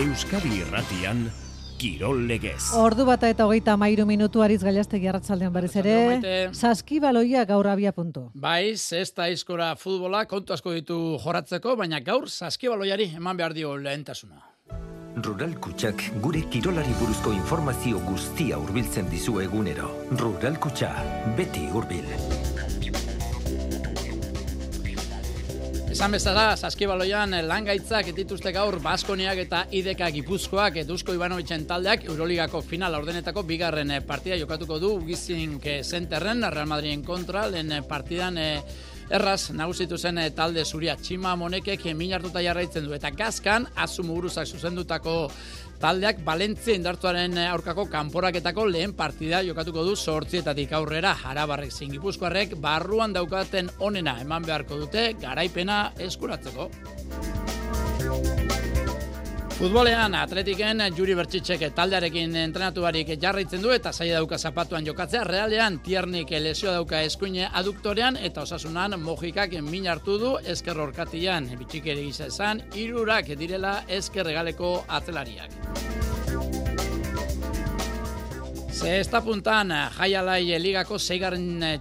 Euskadi Irratian, Kirol Legez. Ordu bata eta 33 Ariz Gailastegi arratsaldean berriz ere. Saskibaloia gaur abia puntu. Bai, zesta aizkora futbola kontu asko ditu jorratzeko, baina gaur saskibaloiari eman behar dio lehentasuna. Rural Kutxak gure kirolari buruzko informazio guztia hurbiltzen dizu egunero. Rural Kutxa, beti hurbil. Esan bezala, saskibaloian langaitzak dituzte gaur Baskoniak eta IDK Gipuzkoak Dusko Ivanovitzen taldeak Euroligako final ordenetako bigarren partida jokatuko du Ugizink Zenterren, Real Madriden kontra, lehen partidan erraz nagusitu zen talde zuria Txima Monekek min hartuta jarraitzen du, eta Gazkan Azu Muguruzak zuzendutako taldeak Valentzia indartuaren aurkako kanporaketako lehen partida jokatuko du 8 aurrera. Arabarrek zein Gipuzkoarrek barruan daukaten onena eman beharko dute garaipena eskuratzeko. Futbolean Atletiken Juri Bertxitzek taldearekin entrenatu barik jarraitzen du eta zaila dauka zapatuan jokatzea. Realean Tiernik lesio dauka eskuine aduktorean eta Osasunan Mojikak min hartu du ezker orkatian. Bitxikeri gisa esan, 3 direla ezker hegaleko atzelariak. Zesta puntan Jaialai Ligako 6.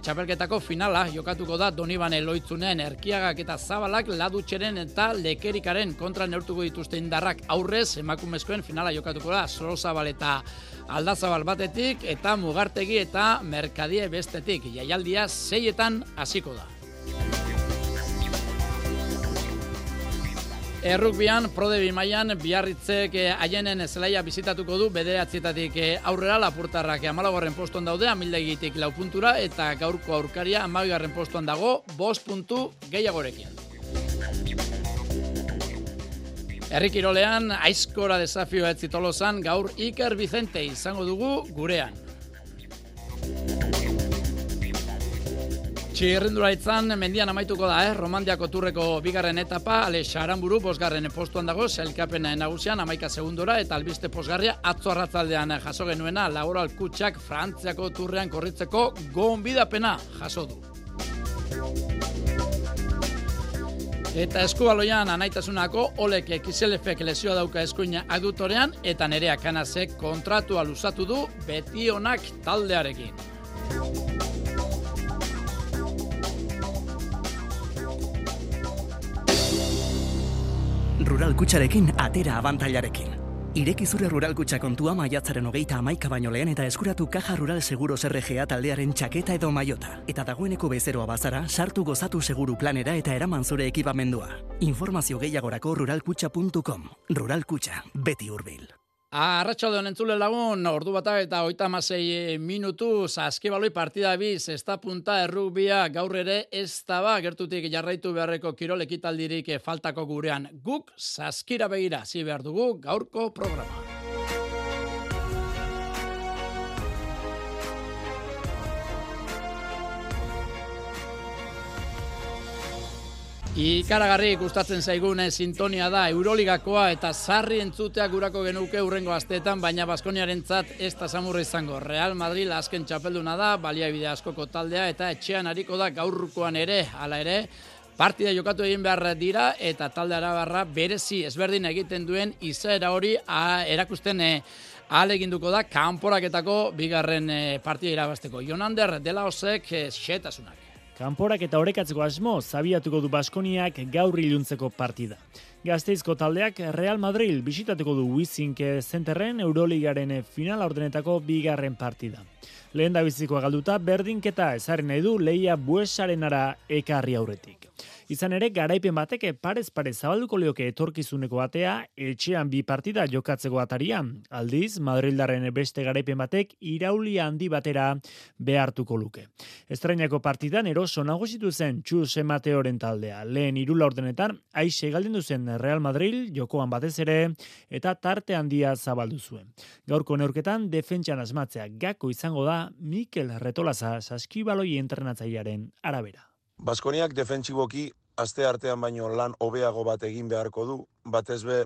txapelketako finala jokatuko da Donibane Loitzunen Erkiagak eta Zabalak Ladutxeren eta Lekerikaren kontra neurtuko dituzte indarrak. Aurrez emakumezkoen finala jokatuko da Sorozabal eta Aldazabal batetik eta Mugartegi eta Merkadie bestetik. Jaialdia 6 hasiko da. Errukbian, Prodebi mailan Biarritzek Aienen zelaia bizitatuko du 9 aurrera. Lapurtarrak 14. postuan daude, Amildegitik 4 puntura eta gaurko aurkaria 12. postuan dago 5 puntu gehiagorekin. Herrikirolean aizkora desafio etzi Tolosan gaur Iker Vicente izango dugu gurean. Txirrindularitzan mendian amaituko da, Romandiako turreko bigarren etapa, Alex Aramburu 5. postuan dago, sailkapen nagusian 11 segundora eta albiste posgarria atzo arratzaldean jaso genuena Laboral Kutxak Frantziako turrean korritzeko gonbidapena jaso du. Eta eskubaloian anaitasunako Olek Kiselefek lesioa dauka eskuina aduktorean eta Nerea Kanasek kontratua luzatu du Betionak taldearekin. Rural Kutxarekin atera abantailarekin. Ireki zure Rural Kutxa kontua maiatzaren 31 baino lehen eta eskuratu Caja Rural Seguros RGA taldearen txaketa edo maiota. Eta dagoeneko bezeroa bazara, sartu gozatu seguru planera eta eraman zure ekipamendua. Informazio gehiagorako ruralkutxa.com. Rural Kutxa, beti hurbil. Arratsalde honen entzule lagun, ordu bata eta 36 minutu, saskibaloi partida biz, zesta punta errugbia gaur ere ez daba gertutik jarraitu beharreko kirol ekitaldirik faltako gurean. Guk saskira begira, zi behar dugu gaurko programa. Ikaragarri gustatzen zaigun sintonia da Euroligakoa eta sarri entzutea gurako genuke hurrengo asteetan, baina Baskoniarentzat ez da samurra izango. Real Madrid azken txapelduna da, baliabide askoko taldea eta etxean hariko da gaurkoan ere, hala ere, partida jokatu egin behar dira eta talde arabarra berezi ezberdin egiten duen izaera hori erakusten ahaleginduko da kanporaketako bigarren partida irabazteko. Jonander Delaosek xetasunak. Kanporak eta orekatzeko asmo zabiatuko du Baskoniak gaur iluntzeko partida. Gasteizko taldeak Real Madrid bisitatuko du Ugizink Zenterren Euroligaren finala ordenetako bigarren partida. Lehen da bizikoa galduta berdinketa ezarri nahi du Leia Buesarenara ekarri aurretik. Izan ere, garaipen batek parez-parez zabalduko lioke etorkizuneko atea etxean 2 partida jokatzeko ataria. Aldiz, Madrildarren beste garaipen batek irauli handi batera behartuko luke. Estrainako partidan eroso nagusitu zen Txus Mateoren taldea. Lehen 3 laurdenetan aixe galdendu zen Real Madrid jokoan batez ere eta tarte handia zabaldu zuen. Gaurko neurketan defentsan asmatzea gako izango da Mikel Retolaza saskibaloi entrenatzailearen arabera. Baskoniak defentsiboki aste artean baino lan hobeago bat egin beharko du, batez be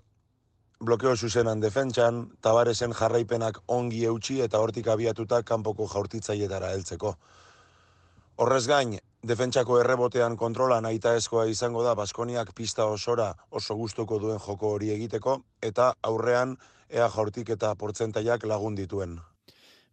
blokeo zuzenan defentsan, Tabaresen jarraipenak ongi eutsi eta hortik abiatuta kanpoko jaurtitzailetara heltzeko. Horrez gain, defentsako errebotean kontrola nahitaezkoa izango da Baskoniak pista osora oso gustuko duen joko hori egiteko, eta aurrean ea jaurtik eta portzentaiak lagun dituen.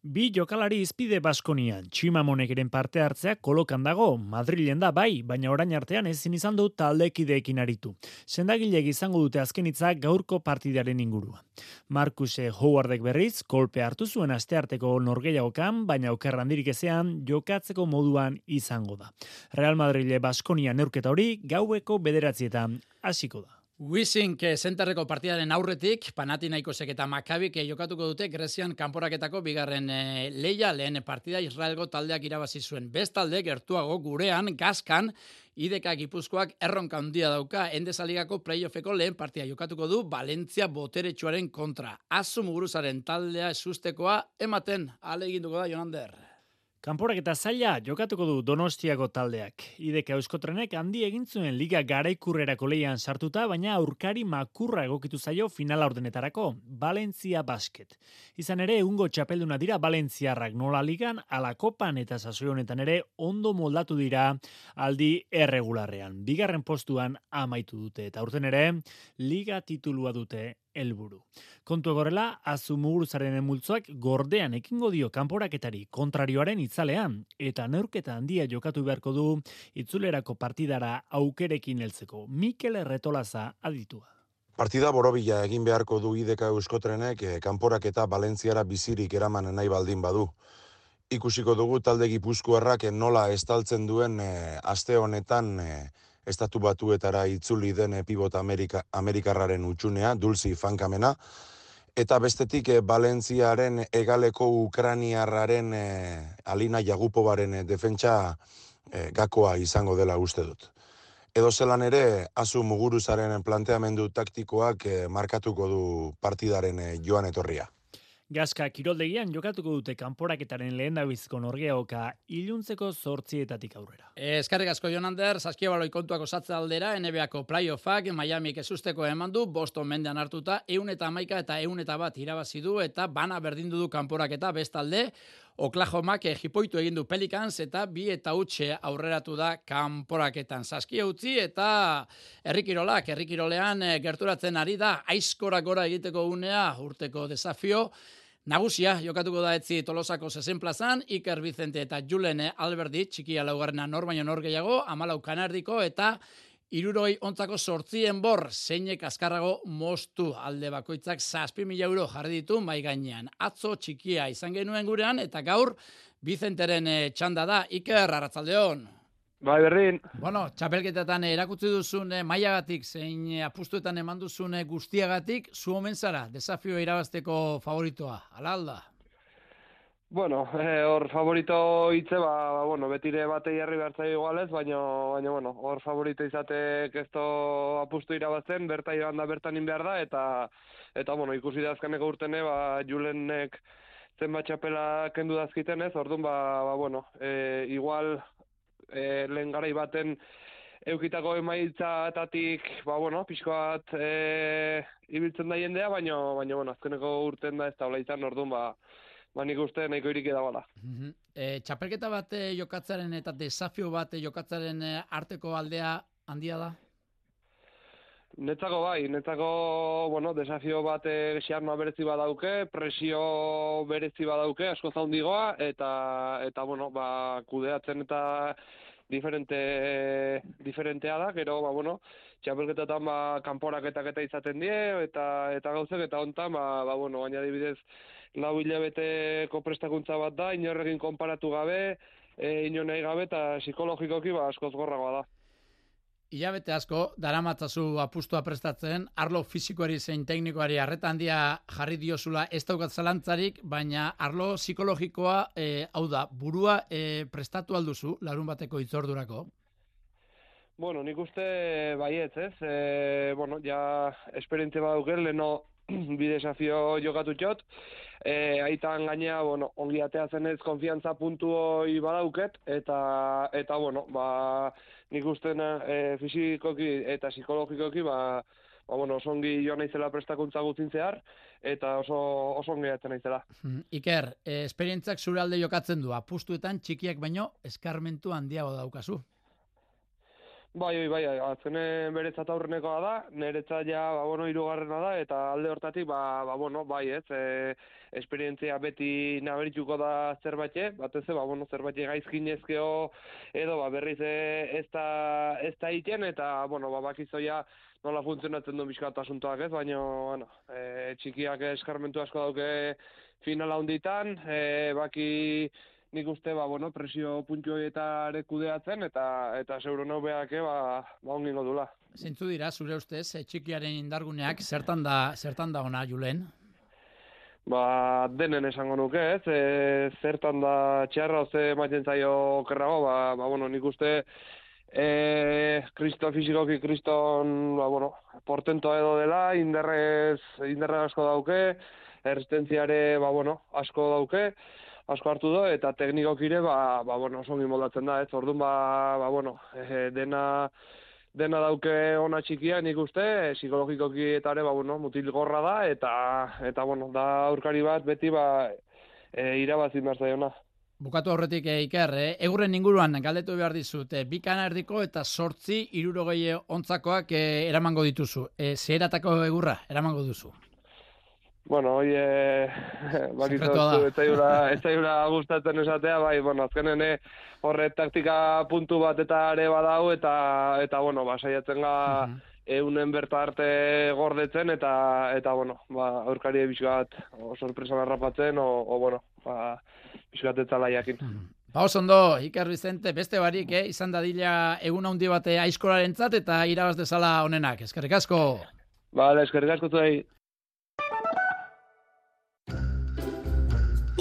Bi jokalari izpide Baskonian, Tximamonekeren parte hartzea kolokan dago, Madrilen da bai, baina orain artean ezin izan du taldekideekin aritu. Sendagilek izango dute azken hitzak gaurko partidaren ingurua. Marcus Howardek berriz, kolpe hartu zuen astearteko norgehiagokan, baina oker handirik ezean jokatzeko moduan izango da. Real Madrile Baskonia neurketa hori gaueko 9:00 hasiko da. Wissink zenterreko partidaren aurretik, Panathinaikosek eta Makabik jokatuko dute Grezian kanporaketako bigarren leia, lehen partida Israelgo taldeak irabazi zuen. Bestalde, gertuago gurean, Gazkan, IDK Gipuzkoak erronka handia dauka, Endesaligako playoffeko lehen partida jokatuko du Valentzia boteretsuaren kontra. Azu Muguruzaren taldea ezustekoa ematen ahaleginduko da Jonander. Kanporaketa zaila jokatuko du Donostiako taldeak. IDK Euskotrenek handi egin zuen liga garaikurrerako leian sartuta, baina aurkari makurra egokitu zaio finala ordenetarako, Valentzia Basket. Izan ere, egungo txapelduna dira Valentziarrak, nola ligan, ala kopan eta sasoi honetan ere ondo moldatu dira aldi erregularrean. Bigarren postuan amaitu dute, eta aurten ere, liga titulua dute helburu. Kontu gorela, Azu Muguruzaren multzoak gordean ekingo dio kanporaketari kontrarioaren itzalean, eta neurketa handia jokatu beharko du itzulerako partidara aukerekin heltzeko. Mikel Erretolaza aditua. Partida borobila egin beharko du IDK Euskotrenek kanporaketa Valentziara bizirik eraman nahi baldin badu. Ikusiko dugu talde gipuzkoarrak nola estaltzen duen aste honetan Estatu Batuetara itzuli den pibot Amerikarraren utxunea, Dulci Fankamena, eta bestetik Valentziaren egaleko Ukraniarraren Alina Jagupovaren defentsa gakoa izango dela uste dut. Edo zelan ere, Azu Muguruzaren planteamendu taktikoak markatuko du partidaren joan etorria. Gazka kiroldegian jokatuko dute kanporaketaren lehendabiziko norgeagoka iluntzeko 8:00 aurrera. Eskerrik asko Jonander, Saskibaloi kontuak osatze aldera, NBAko playoffak Miamik ezusteko eman du, Boston mendean hartuta, 111 eta 101 irabazi du, eta bana berdindu du kanporaketa bestalde, Oklahomak jipoitu egin du Pelicans eta 2-0 aurreratu da kanporaketan. Saskia utzi eta herrikirolean gerturatzen ari da, aizkora gora egiteko unea, urteko desafio, nagusia jokatuko da etzi Tolosako 60 plazan, Iker Vicente eta Julen Alberdi, txikia laugarrena nor baino nor gehiago, 14 kanardiko eta 68 enbor, zeinek azkarrago moztu alde bakoitzak 7.000 euro jarri ditu mai gainean. Atzo txikia izan genuen gurean eta gaur Vicenteren txanda da. Iker, arratsaldeon. Bai, berdin. Bueno, txapelketetan erakutsi duzun mailagatik zein apustuetan eman duzun guztiagatik, zu omen zara, desafio irabazteko favoritoa, ala alda? Bueno, hor favorito hitze, betire batei jarri behartzai igualez, baina, hor favorito izatek ez do apustu irabazten, berta joan da bertan behar da, eta ikusi da azkeneko urtene, Julenek zenbat txapela kendu dazkiten ez, orduan, igual lehen garai baten eukitako emaitzatatik, pixko bat ibiltzen da jendea, baina, azkeneko urten da ez da hola izan, orduan, nik uste nahiko irik edabala. Txapelketa bat jokatzaren eta desafio bat jokatzaren arteko aldea handia da? Netzako, desafio bat xarnoa berezi badauke, presio berezi badauke, asko zaundigoa, eta kudeatzen eta diferentea da, gero, txapelketetan kanporaketak eta izaten die, eta gauzek, eta hontan, baina adibidez, 4 hilabeteko prestakuntza bat da, inorrekin konparatu gabe, inor nahi gabe, eta psikologikoki askoz gorragoa da. Hilabete asko, daramatzazu apustua prestatzen, arlo fizikoari zein teknikoari arreta handia jarri diozula ez daukat zalantzarik, baina arlo psikologikoa, hau da, burua prestatu alduzu larun bateko itzordurako? Nik uste baietz, ez? Ja esperientzia badauken, leheno bi desafio jokatu txot, aitan gainea, ongi ateatzen ez konfiantza puntu hori badauket, eta nik uste fizikoki eta psikologikoki, oso ongi joan naizela prestakuntza guztin zehar, eta oso ongi jatzen naizela. Iker, esperientziak zure alde jokatzen du, apustuetan txikiak baino eskarmentu handiago daukazu. Bai, azkenen beretzat aurrenekoa da, niretzat ja, hirugarrena da, eta alde hortatik, bai, esperientzia beti naberituko da zerbait, batez zerbait gaizkinezkeo edo berriz ez da egiten, eta, bakizoia nola funtzionatzen duen bizkat asuntoak ez, baina, txikiak eskarmentu asko dauke finala hunditan, baki nik uste, presio puntu horietare kudeatzen, eta zeuro beak, ongingo dula. Zeintzu dira, zure ustez, txikiaren indarguneak, zertan da ona, Julen? Denen esango nuke, ez? Zertan da txarra, oze maiten zaio okerrago, nik uste fisikoki kriston, portentoa edo dela, inderre asko dauke, erresistentziare, asko dauke, asko hartu do, eta teknikokire, oso ongi moldatzen da, ez? Orduan, dena dauke ona txikia, nik uste, psikologikoki eta ere, mutil gorra da, eta da aurkari bat, beti, irabazin behar zaiona. Bukatu aurretik, Iker, egurren inguruan galdetu behar dizut, 2 kanardiko eta 8 hirurogei ontzakoak eramango dituzu. Zeheratako egurra eramango duzu? Hoi, ez zaila gustatzen esatea, azkenen horre taktika puntu bat eta ere badau, eta saiatzen ga eunen berta arte gordetzen, eta aurkari bizkat sorpresan harrapatzen, bizkat etzala jakin. Ondo, Iker Vicente, beste barik, izan dadila egun handi bate aizkolarentzat eta irabaz dezala honenak. Eskerrik asko. Bale, eskerrik asko zuei.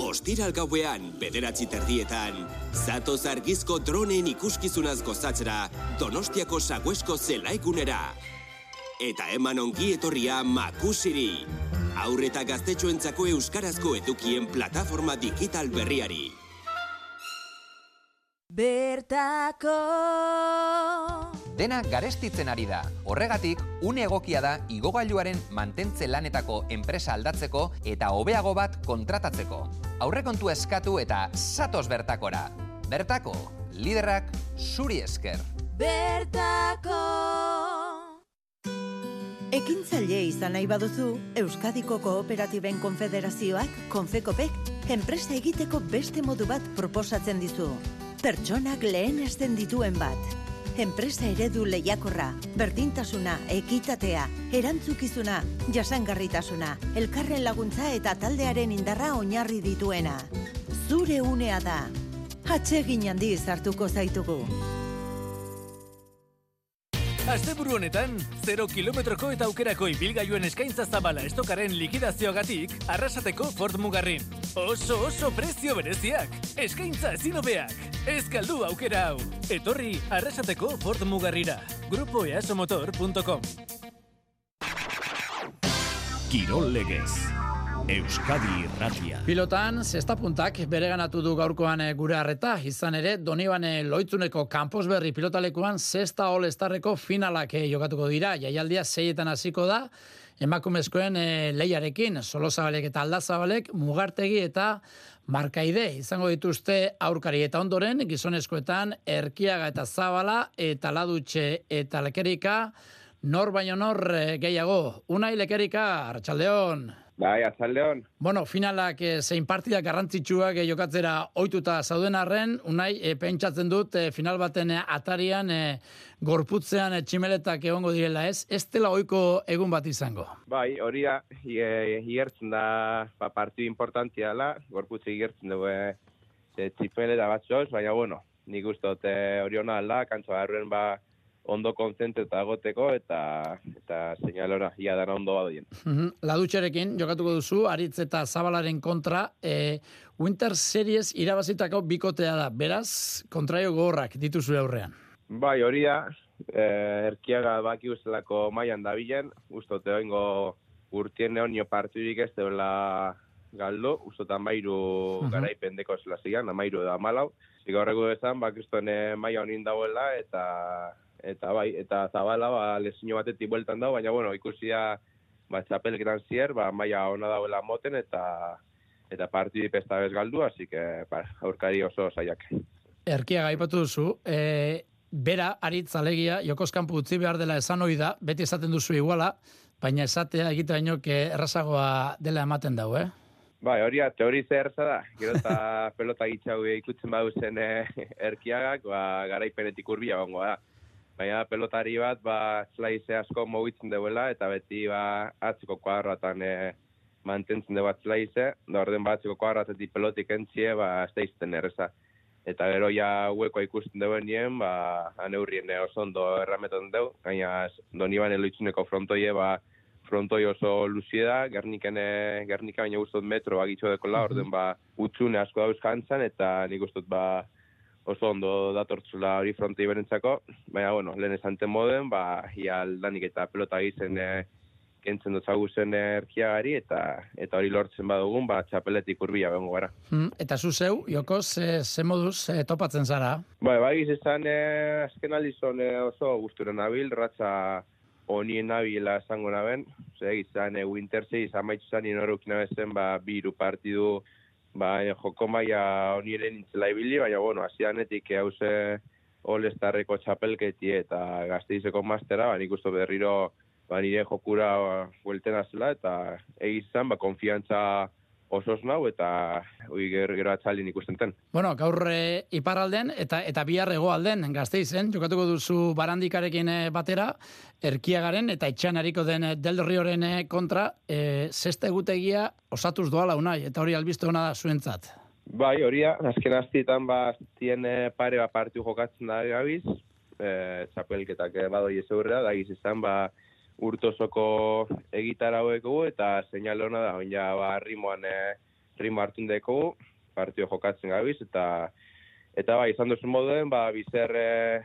Ostiral gauean, 9:00 zatoz argizko dronen ikuskizunaz gozatzera Donostiako Saguesko zelaigunera. Eta eman ongi etorria Makusiri, haur eta gaztetxoentzako euskarazko edukien plataforma digital berriari. Bertako Dena garestitzen ari da. Horregatik, une egokia da igogailuaren mantentze lanetako enpresa aldatzeko eta hobeago bat kontratatzeko. Aurrekontu eskatu eta zatoz bertakora. Bertako, liderrak zuri esker. Bertako Ekintzaile izan nahi baduzu, Euskadiko Kooperatiben Konfederazioak, Konfekopek, enpresa egiteko beste modu bat proposatzen dizu. Pertsonak lehenesten dituen bat. Enpresa eredu lehiakorra, berdintasuna, ekitatea, erantzukizuna, jasangarritasuna, elkarren laguntza eta taldearen indarra oinarri dituena. Zure unea da. Atsegin handiz hartuko zaitugu. Asteburu honetan, 0 kilometroko eta aukerako ibilgailuen eskaintza zabala estokaren likidazioagatik, Arrasateko Ford Mugarrin. Oso prezio bereziak, eskaintza ezin hobeak. Ez galdu aukera hau. Etorri Arrasateko Ford Mugarrira. grupoeasomotor.com. Kirol Legez. Euskadi Irratia. Pilotan, zestapuntak bereganatu du gaurkoan gure harreta, izan ere, Donibane Loitzuneko Kanposberri pilotalekuan zesta All-Starreko finalak jokatuko dira. Jaialdia 6etan hasiko da, emakumezkoen lehiarekin, Solozabalek eta Aldazabalek, Mugartegi eta Markaide izango dituzte aurkari, eta ondoren gizonezkoetan Erkiaga eta Zabala eta Ladutxe eta Lekerika, nor baino nor gehiago. Unai Lekerika, arratsaldeon. Bai, arratsaldeon. Bueno, finalak zein partidak garrantzitsuak jokatzera ohituta zauden arren, Unai, pentsatzen dut final baten atarian gorputzean tximeletak egongo direla, ez? Ez dela ohiko egun bat izango. Bai, hori da, igertzen da partidu importantia dela, gorputze igertzen dugu tximeleta batzoz, baina bueno, nik uste dut hori hona alda, kantzoa arruen ondo konzentreta agoteko eta seinalora ia dara ondo badoien. Ladutxerekin jokatuko duzu, Aritz eta Zabalaren kontra, Winter Series irabazitako bikotea da, beraz, kontraio gogorrak dituzu aurrean. Bai, hori da, Erkiaga baki ustelako mailan dabilen, ustote oingo urtien neonio partidurik ez dela galdu, ustotan mairu garaipendeko zela zian, amairu da malau. Ziga horreko dezan, kristoen maia honin dagoela, eta bai, eta Zabala lesio batetik bueltan dago, baina bueno, ikusia txapelketan zier, maila ona dauela moten eta partidu pesta bez galdu, así que aurkari oso saiak. Erkia gaipatu duzu, bera aritz alegia Jokoz kanpo utzi behar dela esan ohi da, beti esaten duzu iguala, baina esatea egite baino errazagoa dela ematen dau, Bai, hori teorize erza da. Gero eta pelota gitxau ikutzen badu zen Erkiagak, garaipenetik urbia gongo da. Baina pelotari bat, zlaize asko mugitzen duela, eta beti atzeko kuadratan mantentzen du bat zlaize, da orden atzeko kuadratetik pelotik entzie, ez da izten erreza. Eta gero ja huekoa ikusten duen nien, aneurrien oso ondo errametan dugu, gaina Doniban eloitzuneko frontoie, frontoi oso luzie da, Gernika baina guztot metro bagitxo dekola, orden utzune asko dauz jantzan, eta nik guztot oso ondo datortzula hori frontoi berentzako, baina, bueno, lehen esanten moden, ia aldanik eta pelota gizen kentzen dutzagu zen Erkiagari, eta hori lortzen badugun, txapeletik urbila bengo gara. Eta zu zeu, Jokoz, ze moduz topatzen zara? Bai, izan azken aldizon oso guzturen nabil, ratza honien nabila esango naben, izan Wintersei izan maitzu zan inorukina bezen, biru partidu, joko maia honiren intzela ibili, baina, bueno, hasianetik hauze All-Starreko txapelketi eta Gasteizeko mastera, nik uste berriro nire jokura bueltena zela, eta egizan, konfiantza osoz nau, eta gero atzalin ikusten ten. Bueno, gaur iparralden eta bihar hegoalden Gasteizen, jokatuko duzu Barandikarekin batera, Erkiagaren eta Itxanariko den Del Rioren kontra, zesta egutegia osatuz doala unai, eta hori albiste hona da zuentzat. Bai, horia, azken aztietan tien pare partiu jokatzen da gabiz, txapelketak badoi ez aurrera, da izan urtosoko egitara haueko eta seinale hona da, oina rimo hartun deko partio jokatzen gabiz, eta izan duzun moduen, bizer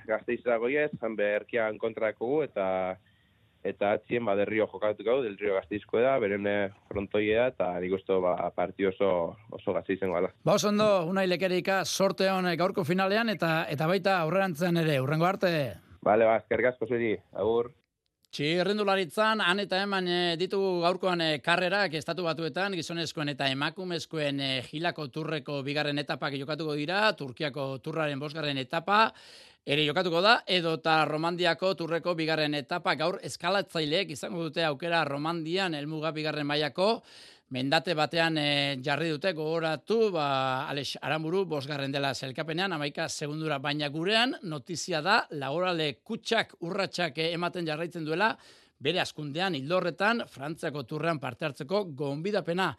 Gasteizera goiez, Erkiagan kontrako eta atzien Del Rio jokatuko, Del Rio Gasteizko da, beren frontoia eta nik uste partio oso Gasteizen gala. Oso ondo, unai lekerika, sorte hon gaurko finalean eta baita aurrerantzean ere, urrengo arte. Bale, eskerrik asko zuri, agur. Txirrendularitzan, han eta eman ditugu gaurkoan karrerak estatu batuetan, gizonezkoen eta emakumezkoen Gilako turreko bigarren etapak jokatuko dira, Turkiako turraren 5. etapa, ere jokatuko da, edota Romandiako turreko bigarren etapa, gaur eskalatzaileek izango dute aukera Romandian, helmuga bigarren mailako, mendate batean jarri dute gogoratu, Alex Aramburu 5. dela sailkapenean, 11 segundura, baina gurean notizia da, laborale kutsak, urratsak ematen jarraitzen duela, bere askundean hildorretan, Frantziako turrean parte hartzeko gonbidapena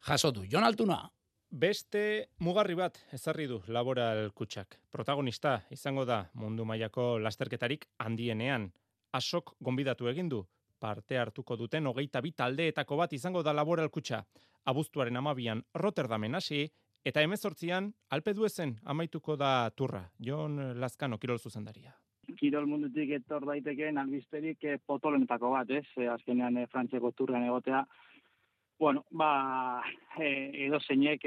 jasotu. Jon Altuna. Beste mugarri bat ezarri du laboral kutsak. Protagonista izango da mundu mailako lasterketarik handienean. Asok gonbidatu egin du. Parte hartuko duten 22 taldeetako bat izango da laboral kutsa. Abuztuaren 12an Rotterdamen hasi eta 18an Alpe d'Huezen amaituko da turra. Jon Lazkano, kirol zuzendaria. Kirol mundutik etor daitekeen albisterik potolenetako bat, azkenean Frantziako turrean egotea. Bueno, edo zeinek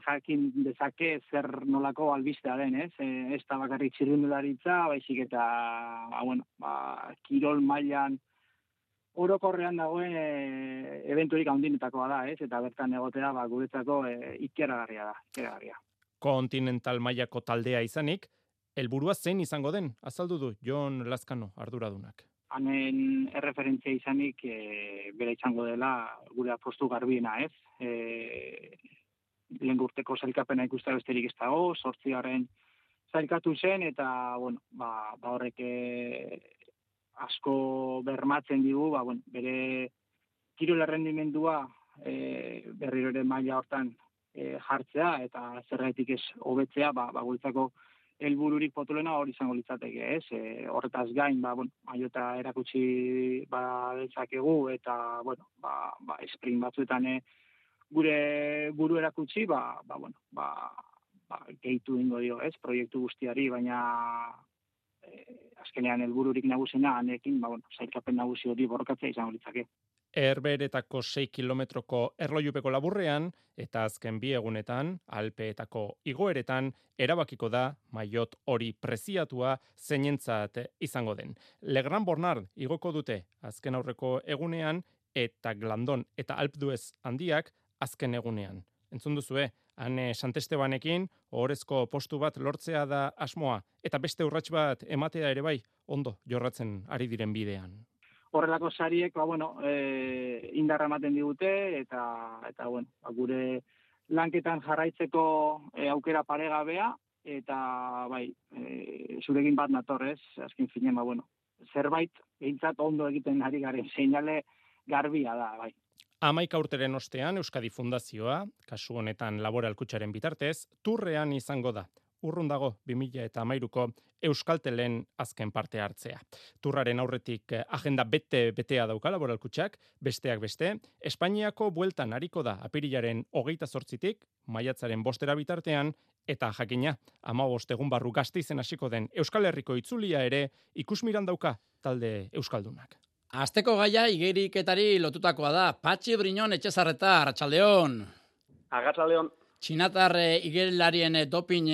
jakin dezake zer nolako albistea den, ez da bakarrik txirrindularitza, baizik eta, kirol mailan orokorrean dagoen eventurik handinetakoa da, eta bertan egotea guretzako ikeragarria da. Kontinental mailako taldea izanik, helburua zein izango den, azaldu du Jon Lazkano arduradunak. Hanen erreferentzia izanik bera izango dela gure apostu garbiena, ez? Lehen urteko sailkapena ikustea besterik ez dago, 8. sailkatu zen, eta horrek asko bermatzen digu, bere kirol errendimendua berriro ere maila hortan jartzea, eta zergatik ez hobetzea, guretzako helbururik potolena hori izango litzateke, ez? Horretaz gain, maiota erakutsi dezakegu, eta, sprint batzuetan gure buru erakutsi, gehitu ingo dio, ez? Proiektu guztiari, baina azkenean helbururik nagusena, hanekin, sailkapen nagusi hori borrokatzea izango litzake. Herberetako 6 kilometroko erlojupeko laburrean, eta azken 2 egunetan, Alpeetako igoeretan, erabakiko da maiot hori preziatua zeinentzat izango den. Legrand Bornard igoko dute azken aurreko egunean, eta Glandon eta Alpe d'Huez handiak azken egunean. Entzun duzue, Ane Santestebanekin ohorezko postu bat lortzea da asmoa, eta beste urrats bat ematea ere bai, ondo jorratzen ari diren bidean. Horrelako sariek, indarra ematen digute, eta gure lanketan jarraitzeko aukera paregabea, eta zurekin bat natorrez, azken finen, zerbait, behintzat ondo egiten ari garen, seinale garbia da, bai. 11 urteren ostean Euskadi Fundazioa, kasu honetan Laboral Kutxaren bitartez, turrean izango da. Urrun dago 2013ko Euskaltelen azken parte hartzea. Turraren aurretik agenda betea dauka Laboral Kutxak, besteak beste, Espainiako bueltan ariko da apirilaren 28tik, maiatzaren 5 bitartean, eta jakina, 15 egun barru Gasteizen hasiko den Euskal Herriko itzulia ere ikusmiran dauka talde euskaldunak. Asteko gaia igeriketari lotutakoa da. Patxi Briñon Etxezarreta, Arratsaldeon. Arratsaldeon. Txinatar igerilarien doping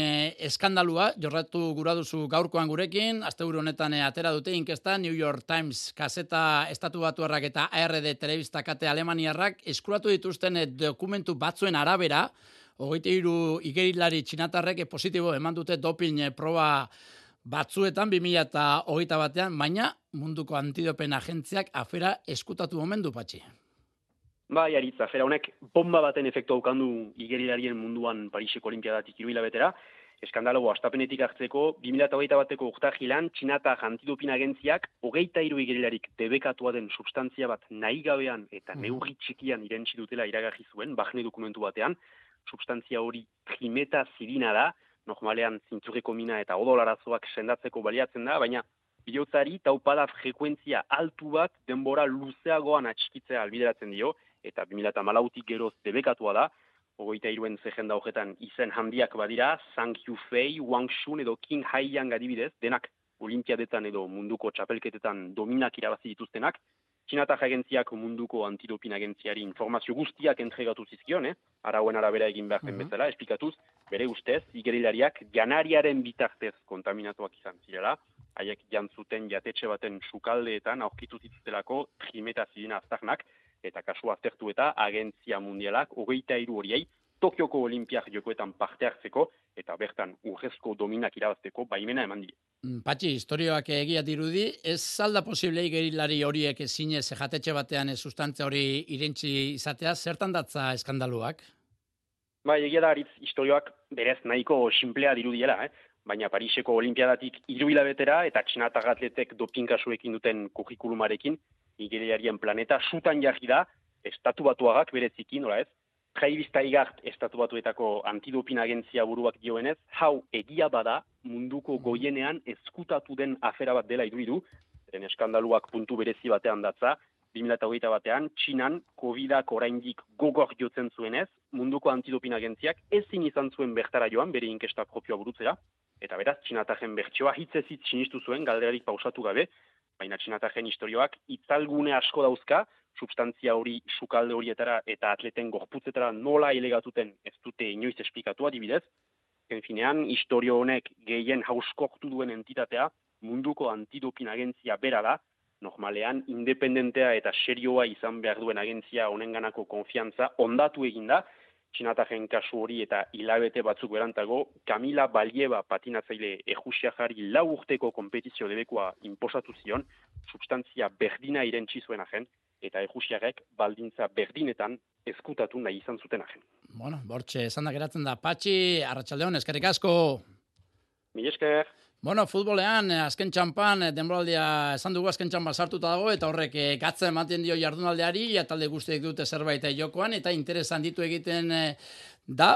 eskandalua jorratu gura duzu gaurkoan gurekin. Asteburu honetan atera dute inkesta New York Times kaseta estatu batuarrak eta ARD telebista kate alemaniarrak eskuratu dituzten dokumentu batzuen arabera, 23 igerilari txinatarrek positibo eman dute doping proba batzuetan 2021, baina munduko antidopen agentziak afera eskutatu omen du, Patxi. Bai, Aritz, afera honek bomba baten efektu aukandu igerilarien munduan Pariseko Olimpiadatik 3 hilabetera. Eskandalo astapenetik hartzeko 2021ko urtarrilean Txinatar antidopin agentziak 23 igerilarik debekatua den substantzia bat nahi gabean eta neurri txikian irentsi dutela iragarri zuen, Bahne dokumentu batean. Substantzia hori trimetazidina da, normalean zintzurreko mina eta odolarazoak sendatzeko baliatzen da, baina bihotzari taupada frekuentzia altu bat denbora luzeagoan atxikitzea albideratzen dio, eta 2014tik geroz debekatua da, 23en zerrenda horretan izen handiak badira, Zhang Yufei, Wang Shun edo Qin Haiyang adibidez, denak olimpiadetan edo munduko txapelketetan dominak irabazi dituztenak. Txinatar agentziak munduko antidopin agentziari informazio guztiak entregatu zizkion, arauen arabera egin behar den bezala, esplikatuz, bere ustez, igerilariak janariaren bitartez kontaminatuak izan zirela, haiek jantzuten jatetxe baten sukaldeetan aurkitu zituztelako trimetazidina aztarnak, eta kasu aztertu eta agentzia mundialak 23 horiei Tokioko Olimpiak jokoetan parte hartzeko eta bertan urrezko dominak irabazteko baimena eman die. Patxi, historioak egia dirudi, ez alda posible igerilari horiek ezinez jatetxe batean sustantzia hori irentzi izatea, zertan datza eskandaluak? Bai, egia da, Aritz, historioak berez nahiko sinplea dirudiela, baina Pariseko Olimpiadatik 3 hilabetera eta txinatar atletek doping kasuekin duten kurrikulumarekin igerilarien planeta sutan jarri da, estatu batuagak bereziki, nola ez? Travis Taigart estatu batuetako antidopin agentzia buruak dioenez, hau egia bada munduko goienean ezkutatu den afera bat dela iruditu, zeren eskandaluak puntu berezi batean datza, 2021an Txinan COVID-ak oraindik gogor jotzen zuenez, munduko antidopin agentziak ezin izan zuen bertara joan bere inkesta propioa burutzera, eta beraz Txinatarren bertsioa hitzez hitz sinistu zuen galderarik pausatu gabe, baina Txinatarren historioak itzalgune asko dauzka, substantzia hori sukalde horietara eta atleten gorputzetara nola ilegatuten ez dute inoiz esplikatu adibidez. Finean, historio honek gehien hauskortu duen entitatea munduko antidopin agentzia bera da, normalean independentea eta serioa izan behar duen agentzia honenganako konfiantza ondatu eginda, Txinatarren kasu hori eta hilabete batzuk berantago, Kamila Valieva patinatzaile ejusiajari 4 urteko kompetizio debekoa inposatu zion, substantzia berdina irentsi zuen agen, eta ejusiarek baldintza berdinetan ezkutatu nahi izan zuten agen. Bueno, bortxe, esan da geratzen da. Patxi, Arratsaldeon, eskerrik asko. Mil esker. Bueno, futbolean, azken txampan, denboraldia esan dugu azken txampan sartuta dago, eta horrek gatza ematen dio jardunaldeari, ja talde guztiek dute zerbait jokoan, eta interesan ditu egiten da,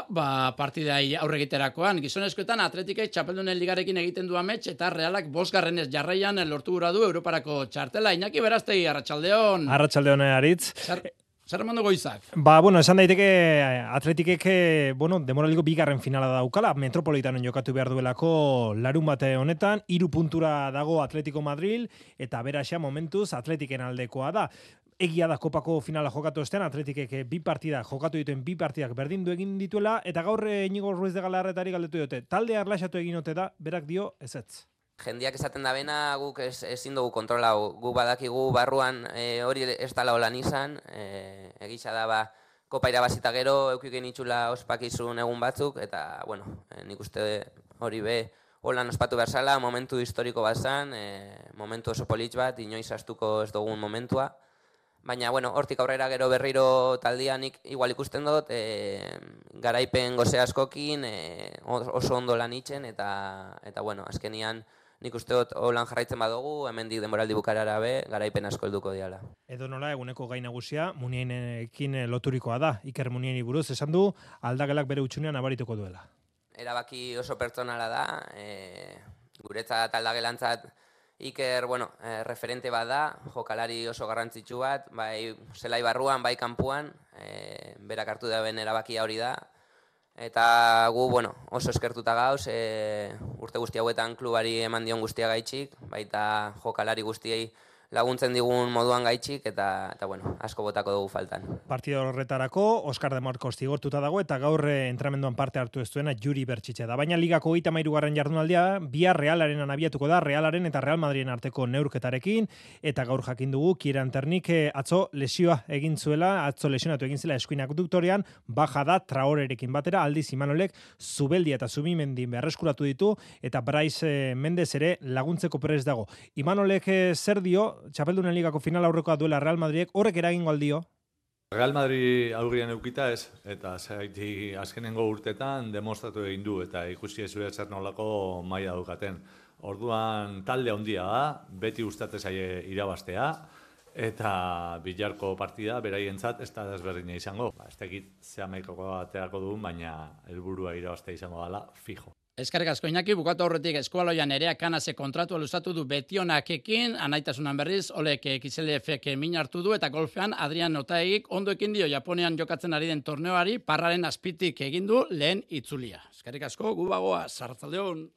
partidai aurre egiterakoan. Gizonezkoetan atletikek txapeldunen ligarekin egiten du amets, eta Realak 5. jarraian lortu gura du Europarako txartela. Iñaki Berastegi, Arratsaldeon. Arratsaldeon, Aritz. Zer eman dugu Izak? Esan daiteke atletikek, demoraliko 2. finala daukala, Metropolitanen jokatu behar duelako larun bate honetan, 3 puntura dago Atletico Madrid, eta beraxa momentuz atletiken aldekoa da. egia da kopako finala jokatu ostean, Atletikek bi partidak berdindu egin dituela, eta gaur Iñigo Ruiz de Galarretari galdetu diote. Taldea erlaxatu egin ote da, berak dio ezetz. Jendiak esaten da bena, guk ezin dugu kontrolau. Gu badakigu barruan hori ez dala holan izan, egisa da kopa irabazita gero, eukiken itxula ospakizun egun batzuk, eta, nik uste hori holan ospatu behar zala, momentu historiko bat zan, momentu oso politx bat, inoiz astuko ez dugun momentua. Baina, hortik aurrera gero berriro taldianik igual ikusten dut, garaipen goze askokin, oso ondo lan itzen, eta azkenian nik uste dut holan jarraitzen badugu, hemendik denboraldi bukarara garaipen asko helduko diala. Edo nola, eguneko gai nagusia, Munienekin loturikoa da. Iker Munieni buruz esan du, aldagelak bere utxunean abarituko duela. Erabaki oso pertsonala da, guretzat aldagelantzat Iker, referente bat da, jokalari oso garrantzitsu bat, bai zelai barruan, bai kanpuan, berak hartu da ben erabakia hori da. Eta gu, oso eskertuta gauz, urte guzti hauetan klubari eman dion guztia gaitxik, baita jokalari guztiei laguntzen digun moduan gaitxik, eta asko botako dugu faltan. Partida horretarako, Oskar de Marcos zigortuta dago, eta gaur entramenduan parte hartu ez duena Juri Bertxitxe da. Baina ligako 33. jardunaldia, bihar Realaren abiatuko da, Realaren eta Real Madriden arteko neurketarekin, eta gaur jakin dugu, Kieran Ternik atzo lesioa egin zuela, atzo lesionatu egin zela eskuinak duktorean, baja da Traorerekin batera, aldiz Imanolek Zubeldia eta Zubimendin beharreskuratu ditu, eta Bryce Mendez ere laguntzeko prest dago. Imanolek zer dio, Txapeldunen ligako final aurrekoa duela Real Madridek, horrek eragingo aldio? Real Madrid aurrien eukita ez, eta zaiti azkenengo urtetan demostratu egin du, eta ikusi ez zer nolako maila daukaten. Orduan talde handia da, beti gustatzen zaie irabaztea, eta Bilarko partida beraientzat ez da desberdina izango. Ez dakit ze amaikako aterako duen, baina helburua irabaztea izango dela fijo. Eskerrik asko Iñaki, bukatu aurretik Eskualoian Nerea Kanase kontratua luzatu du Betionakekin, anaitasunan berriz, Olek Kiselefek min hartu du, eta golfean Adrian Otaegik ondo ekin dio Japonian jokatzen ari den torneoari, Parraren azpitik egin du lehen itzulia. Eskerrik asko, gu bagoaz, arratsaldeon.